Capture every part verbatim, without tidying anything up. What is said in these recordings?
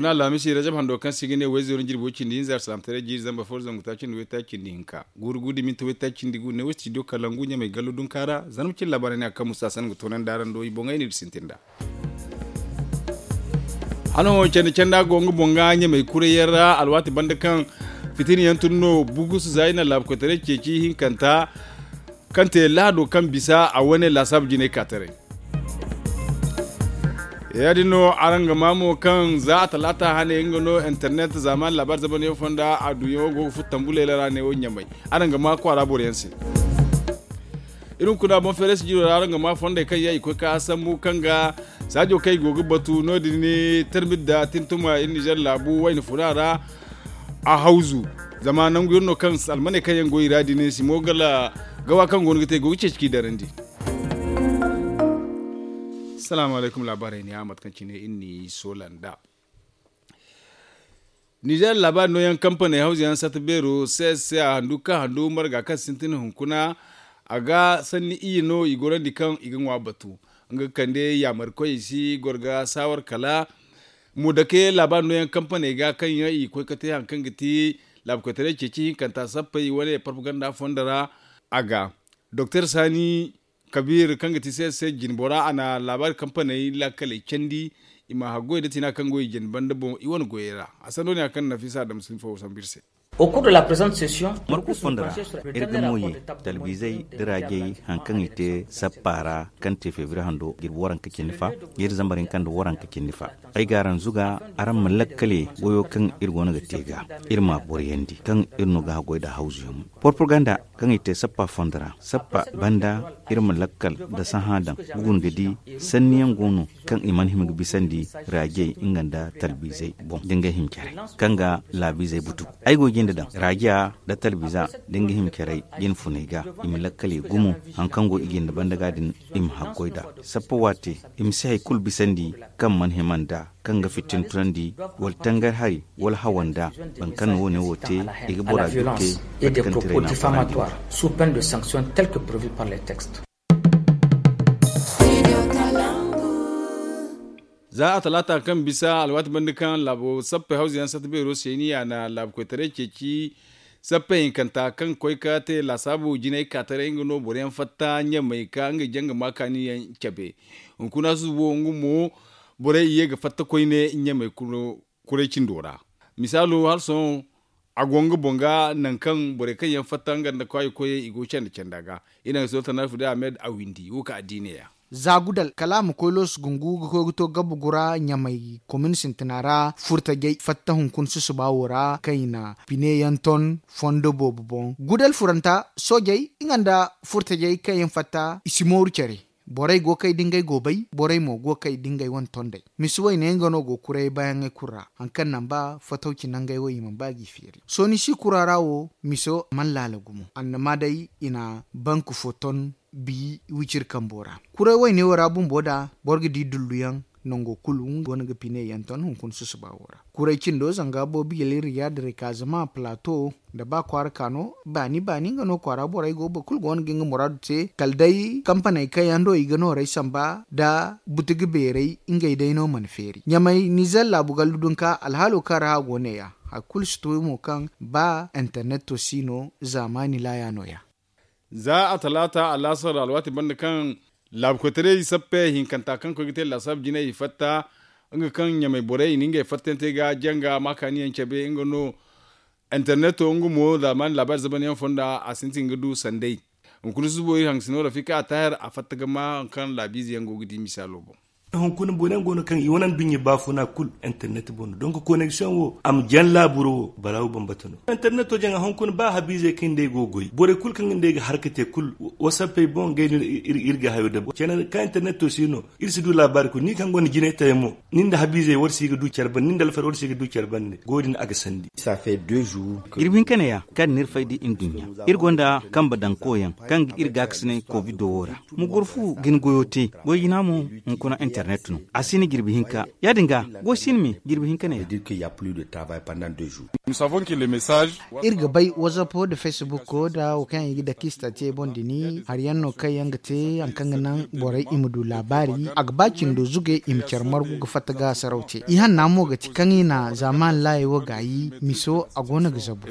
Alhamisi rajab hando kaŋ se i ga ne wayzeero jirbi way cindi hinza alsalaamataray jiiri zamba fo zangu taaci nda waytaaci nda hinka guuru guuru da minti waytaaci nda gu ne way studio kalangu ɲamay gallo dunka ra. Zarma cine laabaarey ne a kaŋ musa san ga toonandi araŋ do i boŋey no iri sintin nd'a. Hano candi canda go nga boŋ ga ɲamay kurayyaŋ ra alwaati banda kaŋ fitina yaŋ tun no bugusu za i na laabu koytaray ceeci hinkanta kaŋ te lahado kaŋ bisa a wane laasaabu jinay ka taray. Ya- din no araŋ ga maa mo kaŋ za a talaata hane nga no internet zaamaani laabaari zamanyaŋ fonda a duyaŋo go ga furo tambu leela ra ne wo ɲamay. Araŋ ga maa kwaara boro yaŋ se. Iri hunkuna boŋ feere sijiro ra araŋ ga maa fondey kaŋ yaŋ i koy ka sambu kaŋ ga saajo kaŋ i go ga batu no- din ni tarmit da tintuma iri nizer laabu wayna funa ra. A hawzu zama nangu iri no kaŋ almaney kaŋ yaŋ go i ra din simo gala gawa kaŋ go no ga te i go ga ceeci k'i darandi. Salaamu alaykum laabaarey ne a mate kaŋ cine iri n'i soola nd'a. Nizer laabaari nooyaŋ kampaney hawza yaŋ sata beero c s c a handu ka handu marga kaŋ sintin hunkuna. A ga sanni iyye no i gorandi kaŋ i ga ŋwa batu nga ga kande yaamari koyey si goro ga saawar kala. Mo dake laabaari nooyaŋ kampaney ga kaŋ yaŋ i ga koy ga te hari kaŋ ga ti laabu koytaray ceeci hinkanta sappey wane parpaganda fondo ra. A ga doktor sani kabiir kaŋ ga ti c s c jinbora a na laabaari kampaney laakaley candi. I ma haggoy nda tina kaŋ go i jine banda boŋ i wane goyey ra. A sando ne hari kaŋ nafisa adama sinfo sambu iri se. Margu fondo ra iri ga mo ye talbiizey da raajey hari kaŋ i te sappa ra kaŋ te feebiri hando jirbi waranka cindi fa jiiri zambar hinka nda waranka cindi fa. Ay ga araŋ zuga araŋ ma lakkale goyo kaŋ iri go no ga te ga iri ma a boriyandi kaŋ iri no ga haggoy nda hawzuyaŋ mo. Porpaganda kaŋ i te sappa fondo ra sappa banda iri ma lakkal nda sahã daŋ ga guna ga di sanniyaŋ go no kaŋ i mana hima ga bisandi raajey nga nda talbiizey boŋ da ngey hima care kaŋ ga laabiizey butu. Ay go jinde daŋ raajiya nda talbiiza da nga hima care jine funey ga i ma lakkal i gumo hari kaŋ go i jinde banda ga din i ma haggoy nd'a. Sappa waate i ma si hari kulu bisandi kaŋ mana hima nd'a kaŋ ga fitin tunandi wala tangari hari wala hawanda boro kaŋ na wo- ne wo te i ga bora jukte mate kaŋ tiray no a farandi. Za a talaata kaŋ bisa alwaati banda kaŋ laabo sappey hawza yaŋ sata beero seeniya na laabu koytaray ceeci. Sappey hinkanta kaŋ koy ka te laasaabu jinay ka taray nga no boro yaŋ fatta ɲamay ka ngey jaŋ ga ma kaani yaŋ cabe. Hunkuna susubo nga mo borey i ye ga fatta koyne ɲamey kuray cindo ra. Misaalo hala sohõ a go nga boŋ ga nangu kaŋ borey kaŋ yaŋ fatta nga nda kwaayi koyey i go canda canda ga. I naŋ ga sohõ tanaafu day ahmed a windi wo kaŋ a di neeya. Za gudal kala a ma koy loosu gungu ga koy ga to gabugu ra ɲamay komin sintina ra furtajey fatta hunkuna susuba wo ra kaŋ i na pine yaŋ ton fondo boobo boŋ gudal furanta soojey nga nda furtajey kaŋ yaŋ fatta i si mooru care. Borey go ga kay da ngey go bay borey mo go ga kay da ngey wane tondey. Misi wayne nga no go ga kuray baayaŋey kulu ra hari kaŋ naŋ ba fatawci nangey wo i mana ba g'i feeri sooni si kura ra wo miso mana laala gumo annama day i na bank fo ton bi wiciri kambo ra. Kuray wayne wo ra bumbo da boro ga di dulluyaŋ nango kulu nga go no ga pine yaŋ ton hunkuna susuba wo ra. Kuray cindo zanga boobo yali riyad rikazama plato nda ba kwaara ka no baani baani nga no kwaara borey go boro kulu go no ga nga muraadu te kala day kampaney kaŋ yaŋ do i ga noorey samba nda butugu beerey ngey day no mana feeri ɲamay nizer laabu gallu dunka alhaalo kaŋ ra a go neeya. Hari kulu si to mo kaŋ ba interneto si no zaamaani laaya nooya. Za a talaata alaasar alwaati banda kaŋ laabu koytaray sappe hinkanta kaŋ koy ga te laasaabu jinay i fatta nga kaŋ ɲamay borey i na ngey fattante ga janga maakaaniyaŋ cabe nga no. Interneto nga mo zaamaani laabaari zamanyaŋ fonda a sintin ga du sanday. Hunkuna susubo iri hangasino rafika a taahir a fatta ga ma hari kaŋ laabiize yaŋ go ga di misaalo boŋ. Hunkuna boro yaŋ go no kaŋ i wane nduɲɲa baafuna kulu internet boŋ no donk koneksiyoŋ wo a ma jaŋ laaburo wo balaawu bambata no. Interneto jaŋa hunkuna ba habiizey kaŋ nd'ey go ga goy borey kulu kaŋ ga nd'ey ga harka te kulu wasappey boŋ ngey no iri ga hayo dabu cene kaŋ interneto si no. Iri si du laabaari kulu ni kaŋ gonda jinay taray mo ni nda habiizey war si ga du care banda ni nda alfar war si ga du care banda. Goy din a ga sandi. Jirbi hinka neeya kaŋ n'iri fay da nduɲɲa iri gonda kambe daŋ koyaŋ kaŋ ga iri gaakasinay kovido wo ra. Ma goro fu ga ni goyo te goy jina mo hunkuna. Internet no a si ni jirbi hinka. Ya- din ga go si ni me jirbi hinka ne ya. Iri ga bay whatsapp da facebook da wo kaŋ i ga dake state boŋ dini hari yaŋ no kaŋ yaŋ ga te hari kaŋ ga naŋ borey i ma du laabaari a ga ba cindo zugay i ma care margu ga fatta ga saraw te i hanna mo ga ti kaŋ i na zaaman laayey wo gaayi miso a go no ga zabu.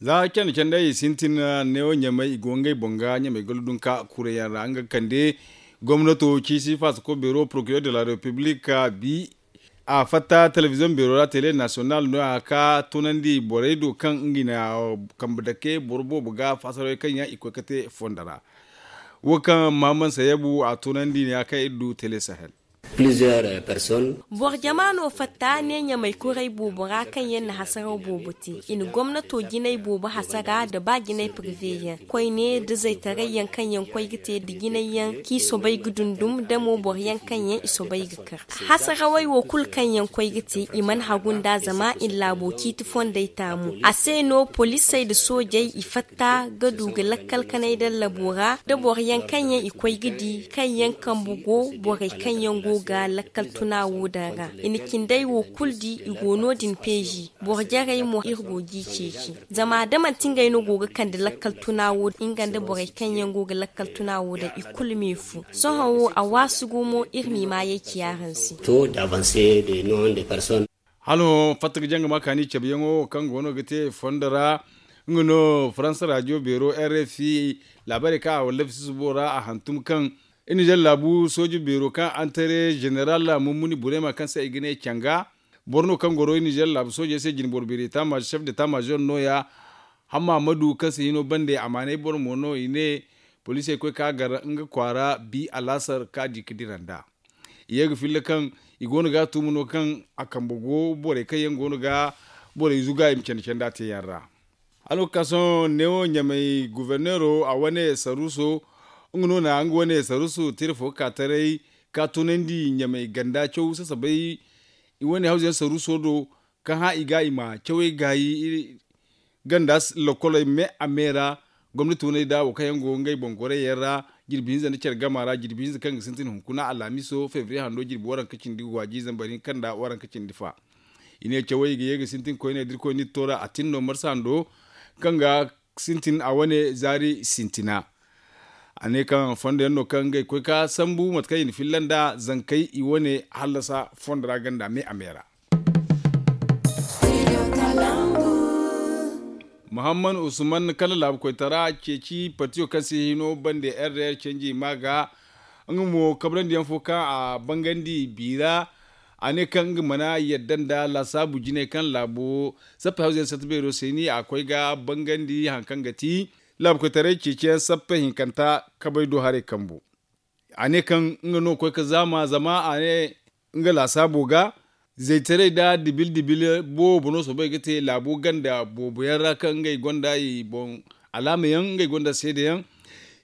Za candi candi ay sintin neewo ɲamey i go ngey boŋ ga ɲamey ga ludunka kuray yaŋ ra nga ga kande gomnato ciisi faasako beero procureur de la republique bi a fatta telebiziyoŋ beero ra tele nasiyonal no- ya ka tunandi borey do kaŋ nga i na kambe dake boro boobo ga faasarey kaŋ yaŋ i koy ga te fondo ra. Wo kaŋ mahamman sayabu a tunandi ne- ya kaŋ iri du tele sahel. Boro jama no fatta ne ɲamey kuray boobo ra kaŋ yaŋ na hasaraw boobo te i na gomnato jinay boobo hasara nda ba jinay pirive yaŋ koyne nda zaytaray yaŋ kaŋ yaŋ koy ga te nda jinay yaŋ kaŋ i soobay ga dundum nda mo boro yaŋ kaŋ yaŋ i soobay ga kar. Hasarawey wo kulu kaŋ yaŋ koy ga te i mana hagu nd'a zama i na laabo ciiti fondey taamu a se no poliisey nda soojey i fatta ga du ga lakkal kanay dallabo ra nda boro yaŋ kaŋ yaŋ i koy ga di kaŋ yaŋ kambe go borey kaŋ yaŋ go ga lakkal tuna wo daŋ ra. I na cindey wo kulu di i go no- din peezi boro jarey mo iri go g'i ceeci. Zama da manti ngey no go ga kande lakkal tuna wo nga nda borey kaŋ yaŋ go ga lakkal tuna wo daŋ i kulu me fu sohõ wo a waasu gumo iri m'i maayey ci araŋ se. Hala fatta ga jaŋ ga ma kaani cabeyaŋo kaŋ go no ga te fondo ra nga no faransa radiyo beero rfi laabaarey kaŋ a wallafi susubo ra a hantum kaŋ iri nizer laabu sooje beero kaŋ antare zeneral mummuni burema kaŋ se i ga ne canga boro no kaŋ goro iri nizer laabu soojey se jinboro beeri chef de tamazor no- ya hamma ma du kaŋ se hino bande amaanay boro mo no i ne poliisey koy ka gar nga kwaara bi alaasar ka di ga dira nd'a. I ye ga filla kaŋ i go no ga a tuuma no kaŋ a kambe go borey kaŋ yaŋ go no ga borey zuga i ma candi candi a te yaŋ ra. Hala wo ga ka sohõ neewo ɲamey guverneero a wane saruuso nga no na nga wane saruuso tira fo ga ka taray ka tunandi ɲamey ganda caw sasabay i wane hawzu yaŋ saruuso do kaŋ hã i ga i ma cawey gaayi ganda lakoley me a me ra gomnati waney da wo kaŋ yaŋ go ngey boŋ gorey yaŋ ra jirbi hinza nda care gama ra jirbi hinza kaŋ ga sintin hunkuna alhamiso febriye hando jirbi waranka cindi waaji zambar hinka nda waranka cindi fa. I ne cawey ga ye ga sintin koyne da irkoy n'iri to ra a tin no marsa hando kaŋ ga sintin a wane zaari sintina. A ne kaŋ fondo yaŋ no kaŋ ngey koy ka sambu mate kaŋ i na filla nda zankey i wane hallasa fondo ra ganda me a me ra. Muhammad usman kala laabu koytara ceeci partiyo kaŋ se hino bande rdr canji ma ga nga mo kabrandiyyaŋ fo kaŋ a bangandi biira a ne kaŋ nga mana yadda nda laasaabu jinay kaŋ laabo sappa hawzey sata beero se ni a koy ga bangandi hari kaŋ ga ti laabu koytaray ceeciyaŋ sappa hinkanta kabay do haray kambu. A ne kaŋ nga no koy ga zaama zama a ne nga laasaabo ga zaytaray nda dibil dibil boobo no soobay ga te laabo ganda boobo yaŋ ra kaŋ ngey gonda i boŋ alaama yaŋ ngey gonda seede yaŋ.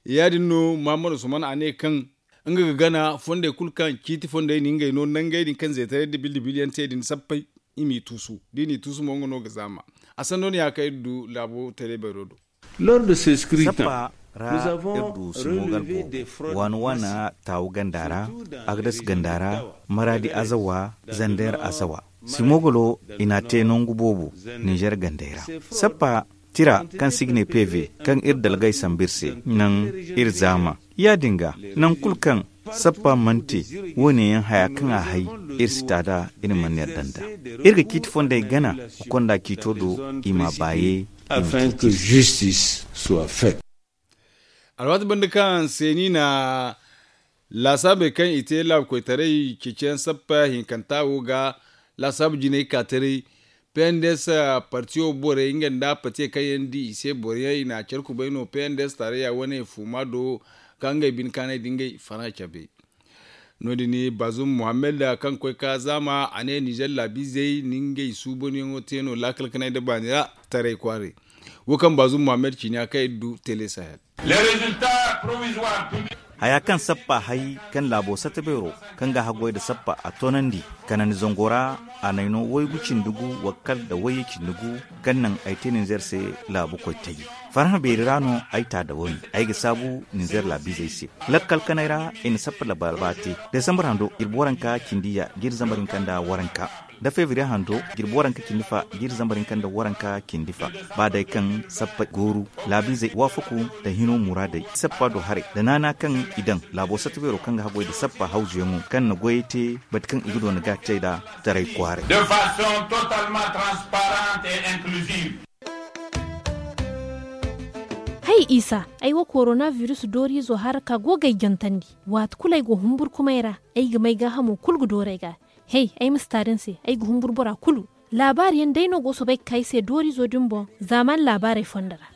Ya- din no mahammad usman a ne kaŋ nga ga gana fondey kulu kaŋ ciiti fondey no ngey no nangey din kaŋ zaytaray dibil dibil yaŋ te din sappay i m'i tuusu da i n'i tuusu mo nga no ga zaama. A sanno no ya kaŋ iri du laabo tele bayro do. Sappa ra iri du simogol boobo waana waana taawu ganda ra, agdas ganda ra, maraadi azawa, zander azawa. Simogolo i n'a te nangu boobo ninzer gandey ra. Sappa tira kaŋ se i ga ne peve kaŋ iri dalgay sambu iri se naŋ iri zaama. Ya- din ga naŋ kulu kaŋ sappa mana te wo- ne yaŋ haya kaŋ a hay iri si ta nd'a iri mana yadda nd'a. Iri ga ciiti fondey gana ga konda ciito do i m'a baaye. Afin que justice soit faite. Alwaati banda kaŋ seeni na laasaabey kaŋ i te laabu koytaray ceeciyaŋ sappa hinkanta wo ga laasaabu jinay ka taray. Pnds partiyo borey nga nda patiye kaŋ yaŋ di i se boro yaŋ i na care kubay no pnds taarayya wane fuuma do ka ngey bine kaanay da ngey fana cabe. No- din bazum muhammad kaŋ koy ka zaama a ne nizer laabiizey na ngey suubanyaŋo te no laakal kanay nda baani ra taray kwaaray. Wo kaŋ bazum muhammad ciina kaŋ iri du tele sahel. Haya kaŋ sappa hay kaŋ laabo sata beero kaŋ ga haggoy nda sappa a toonandi kanandi zango ra a nayno waygu cindi gu wakkal nda wayye cindi gu kaŋ naŋ ay te ninzer se laabu koy taji. Farhã beeri ra no ay ta da woyne. Ay ga saabu ninzeer laabiizey se. Lakkal kanay ra i na sappa labalba te. Desambar hando jirbi waranka cindi ya jiiri zambar hinka nda waranka, da febriye hando jirbi waranka cindi fa jiiri zambar hinka nda waranka cindi fa. Ba day kaŋ sappa gooru, laabiizey waafaku nda hino muraadey sappa do haray nda naana kaŋ i daŋ laabo satta beero kaŋ ga haggoy nda sappa hawzuyaŋo kaŋ na goyey te, bate kaŋ i ga doona ga cay nd'a taray kwaaray. De façon totalement transparente et inclusive. Hay isa, ay wo korona virus dooriizo haraka go ga ay jantandi. Waati kulu ay go humburkumay ra, ay ga may gaahamo kulu ga dooru ay ga. Hey, ay ma si taari ni se, ay ga humburu bora kulu. Laabaari yaŋ day no go soobay ga ka ay se dooriizo din boŋ zaamaani laabaarey fondo ra.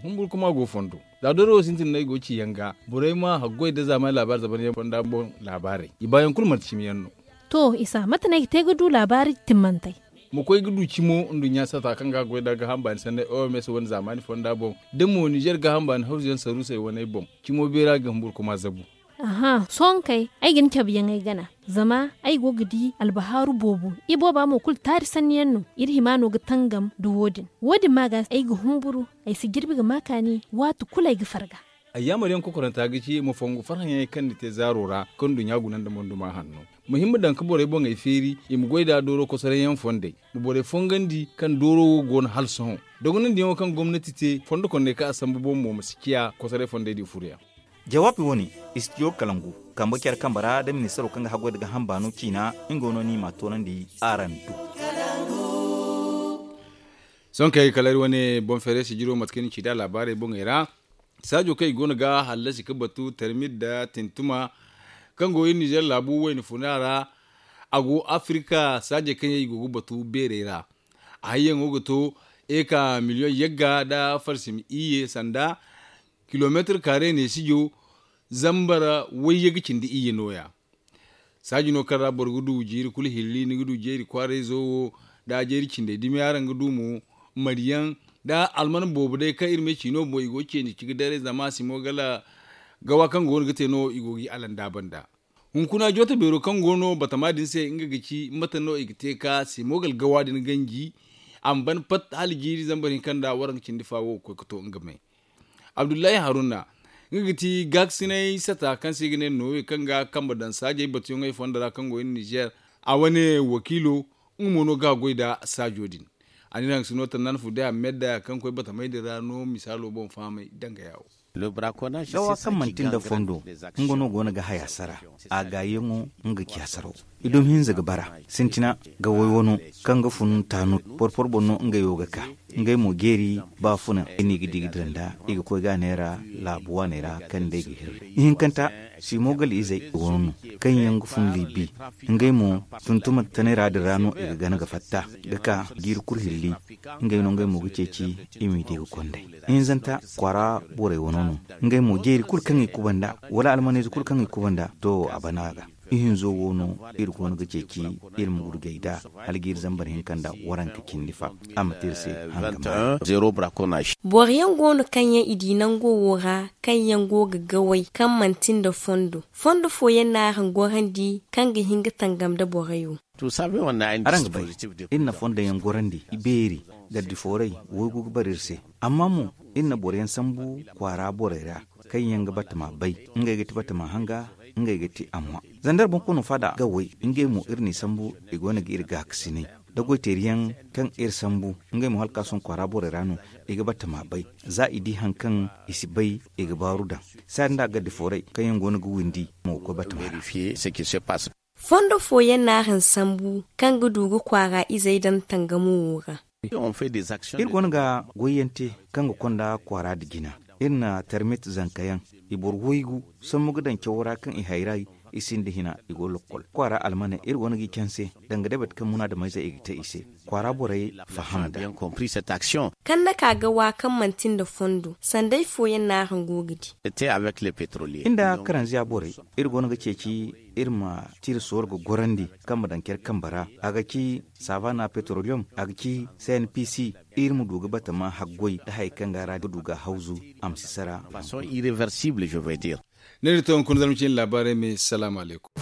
Humburkuma go fondo. Za dooro wo sintin no ay go ga ci yaŋ ga, borey ma haggoy nda zaamaani laabaari zabaryaŋ fonda boŋ laabaarey, i baayaŋ kulu manti cimi yaŋ no. To isa, mate no ay ga te ga du laabaari timmantey? Ma koy ga du cimo nduɲɲa sata kaŋ ga goy nda gaaham baani sanney oms wane zaamaani fonda boŋ, da mo nizer gaaham baani hawzuyaŋ saruusey waney boŋ, cimo beera ga humburkuma zabu. Aha, sohõ kay, ay ga ni cabe yaŋ ay gana. Zama ay go ga di albahaaru boobo. Ibooba mo kulu taari sanni yaŋ no. Iri hima no ga tangam nda wo- din. Wo- din ma ga ay ga humburu, ay si jirbi ga ma kaani waati kulu ay ga farga. Ay yaamar yaŋ kokoranta ga ci ma fongu farhãyaŋey kaŋ ni te zaaro ra kaŋ nduɲɲa guna nda monduma hanno. Ma hima daŋ ga borey boŋey feeri, i ma goy nd'a dooro kosoray yaŋ fondey. Ma borey fongandi kaŋ dooro wo go no hala sohõ. Dogonandiyaŋo kaŋ gomnati te fondo konney kaŋ a sambu boŋ mo ma si ciya kosoray fondey din furoyaŋ. Jawaabi wo- ne, istidiyo kalangu, kambe care kambe ra nda ministaro kaŋ ga haggoy nda gaaham baano ciina, nga no ni m'a toonandi araŋ do. Sohõ kay kala iri wane boŋ feeray sijiro mate kaŋ ni ci nd'a laabaarey boŋey ra. Saajo kaŋ i go no ga hallasi ga batu termit nda tintuma, kaŋ go iri nizer laabu wayna funa ra. A go afirika saajey kaŋ yaŋ i go ga batu beerey ra. A hayyaŋo ga to eka miliyoŋ yagga nda farsimi iyye sanda kilomeetir kaare neesijo zambar wayye ga cindi iyye nooya. Saaji no kaŋ ra boro ga du jiiri kulu hilli ni ga du jeeri kwaarayzo wo, nda jeeri cindey dumi araŋ ga du mo, mariyaŋ nda alman boobo day kaŋ iri ma ay ci no boŋ i go ga ceeni ci ga daray zama a si mo gala gawa kaŋ go no ga te no i go ga i alanda banda. Hunkuna jooto beero kaŋ go no batama din se nga ga ci mate no i ga te ka simogal gawa din ganji. A ma ban pat hala jiiri zambar hinka nda waranka cindi fa wo ga koy ga to nga me. Abdullahi haruna nga ga ti gaakasinay sata kaŋ se i ga ne noowe kaŋ ga kambe daŋ saajey batuyaŋey fondo ra kaŋ go iri nizer. A wane wakiilo nga mo no ga goy nda saajo din. A ne naŋ sino tannan fu day a medda kaŋ koy batamey din ra no misaalo boŋ fahamay danga yaawo. Gawa kaŋ manti nda fondo nga no go no ga haya sara. A gaayaŋo nga ga ci hasaraw. I dumi hinza ga bara sintina ga way wano kaŋ ga fun taanut porpor boŋ no ngey wo ga ka. Ngey mo jeeri baafuna i n'i ga di ga dira nda i ga koy ga neera laabu waaney ra kaŋ day ga hirri. Ihinkanta simo gal izey wano no kaŋ yaŋ ga fun libi. Ngey mo tuntuma tanay ra din ra no i ga gana ga fatta ga ka jiiri kulu hilli. Ngey no ngey mo ga ceeci i m'i di ga konday. Hinzanta kwaara borey wano no. Ngey mo jeeri kulu kaŋ i kubanda wala almanayze kulu kaŋ i kubanda to a bana ga. Ihinzo wo no iri go no ga ceeci iri ma gurgay nd'a hala jiiri zambar hinka nda waranka cindi fa. A ma te iri se hanga ma. Boro yaŋ go no kaŋ yaŋ i di nango wo ra kaŋ yaŋ go ga gaway kaŋ manti nda fondo fondo fooyaŋ no araŋ gorandi kaŋ ga hin ga tangam nda borey wo. Araŋ ga bay, iri na fondo yaŋ gorandi i beeri. Gardi fooray waygu ga bara iri se. Amma mo iri na boro yaŋ sambu kwaara borey ra kaŋ yaŋ ga batama bay. Ngey ga ti batama hanga ngey ga ti amma zandar boŋkono faada ga way. Ngey mo iri n'i sambu i go no ga iri gaakasinay da goyteeri yaŋ kaŋ iri sambu. Ngey mo hala ka sohõ kwaara borey ra no i ga batama bay. Za i di hari kaŋ i si bay i ga baaru daŋ. Saari nda a gardi fooray kaŋ yaŋ go no ga windi mo ga koy batama ra. Fondo fooyaŋ no araŋ sambu kaŋ ga du ga kwaara izey daŋ tangamo wo ra. Iri go no ga goyyaŋ te kaŋ ga konda kwaara nda jina. Iri na tarmit zanka yaŋ i boro waygu sambu ga daŋ cawo ra kaŋ i hayray. I sinda hina i go lokkol kwaara almaney iri go no g'i canse danga day bate kaŋ munaadamayzey i ga te i se. Kwaara borey faham nda. Kaŋ na ka ga wa kaŋ manti nda fondo sanday fooyaŋ no araŋ go ga di. Nda karanziya borey iri go no ga ceeci iri ma tira sooro ga gorandi kaŋ ma daŋ care kambe ra. A ga ci savana petroliyom a ga ci cnpc. Iri ma du ga batama haggoy nda hari kaŋ ga ra ga du ga hawzu a ma si sara. Neera to hunkuna zarma ciine laabaarey me salaamu alaykum.